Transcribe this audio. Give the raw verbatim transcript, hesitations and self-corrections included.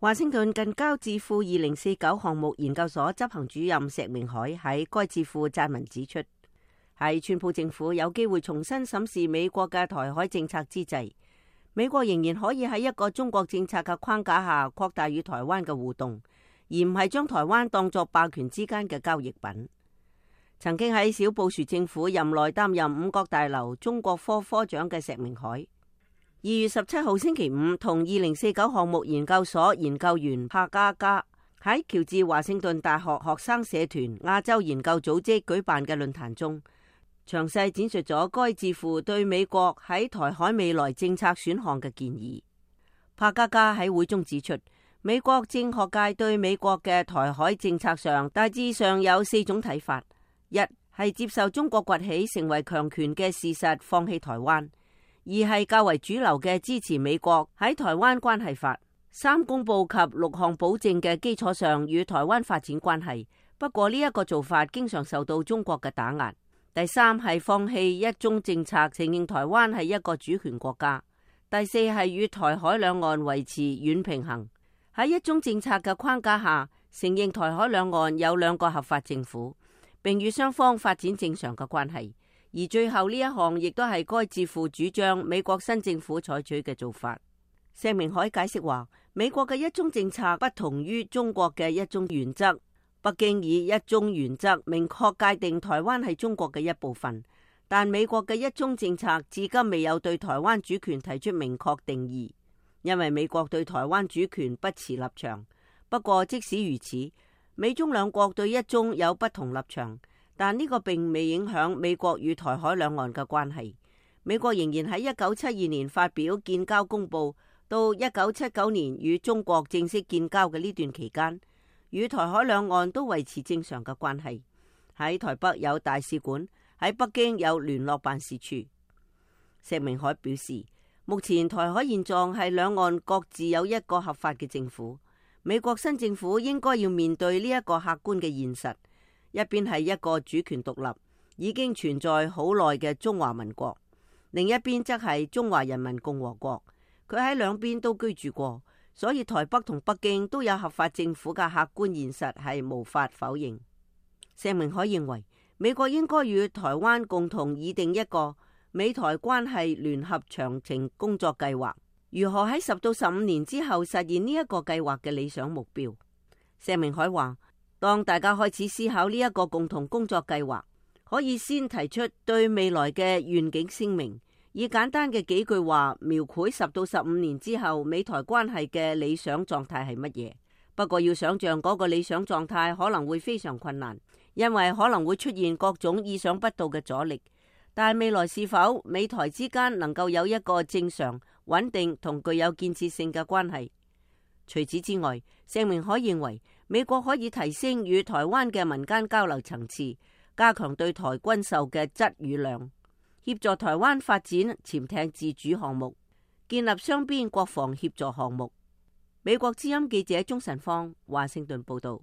華盛頓近郊智庫二零四九項目研究所執行主任石明海喺該智庫撰文指出，喺川普政府有機會重新審視美國嘅台海政策之際，美國仍然可以喺一個中國政策嘅框架下擴大與台灣嘅互動，而唔係將台灣當作霸權之間嘅交易品。曾經喺小布殊政府任內擔任五角大樓中國科科長嘅石明海，二月十七號星期五同二零四九項目研究所研究員帕加加喺喬治華盛頓大學學生社團亞洲研究組織舉辦嘅論壇中，詳細展述咗該智庫對美國喺台海未來政策選項嘅建議。帕加加喺會中指出，美國政學界對美國嘅台海政策上大致上有四種睇法。一係接受中國崛起成為強權嘅事實，放棄台灣；二係較為主流嘅支持美國喺台灣關係法三公報及六項保證嘅基礎上與台灣發展關係。不過呢一個做法經常受到中國嘅打壓。第三係放棄一中政策，承認台灣係一個主權國家。第四係與台海兩岸維持軟平衡，喺一中政策嘅框架下，承認台海兩岸有兩個合法政府，並與雙方發展正常嘅關係。而最後呢一項亦都係該智庫主張美國新政府採取嘅做法。石明海解釋話，美國嘅一中政策不同於中國嘅一中原則。北京以一中原則明確界定台灣係中國嘅一部分，但美國嘅一中政策至今未有對台灣主權提出明確定義，因為美國對台灣主權不持立場。不過即使如此，美中兩國對一中有不同立場，但呢個並未影響美國與台海兩岸嘅關係。美國仍然喺一九七二年發表建交公報，到一九七九年與中國正式建交嘅呢段期間，與台海兩岸都維持正常嘅關係。喺台北有大使館，喺北京有聯絡辦事處。石明海表示，目前台海現狀係兩岸各自有一個合法嘅政府。美國新政府應該要面對呢一個客觀嘅現實，一邊係一個主權獨立、已經存在好耐嘅中華民國，另一邊則係中華人民共和國。佢喺兩邊都居住過，所以台北同北京都有合法政府嘅客觀現實係無法否認。石明海認為，美國應該與台灣共同擬定一個美台關係聯合長程工作計劃，如何喺十到十五年之後實現呢一個計劃嘅理想目標。石明海話，當大家開始思考呢一個共同工作計劃，可以先提出對未來嘅願景聲明，以簡單嘅幾句話描繪十到十五年之後美台關係嘅理想狀態係乜嘢。不過要想象嗰個理想狀態可能會非常困難，因為可能會出現各種意想不到嘅阻力。但未來是否美台之間能夠有一個正常、穩定同具有建設性嘅關係？除此之外，石明海認為美國可以提升與台灣嘅民間交流層次，加強對台軍售嘅質與量，協助台灣發展潛艇自主項目，建立雙邊國防協助項目。美國之音記者鍾晨芳華盛頓報道。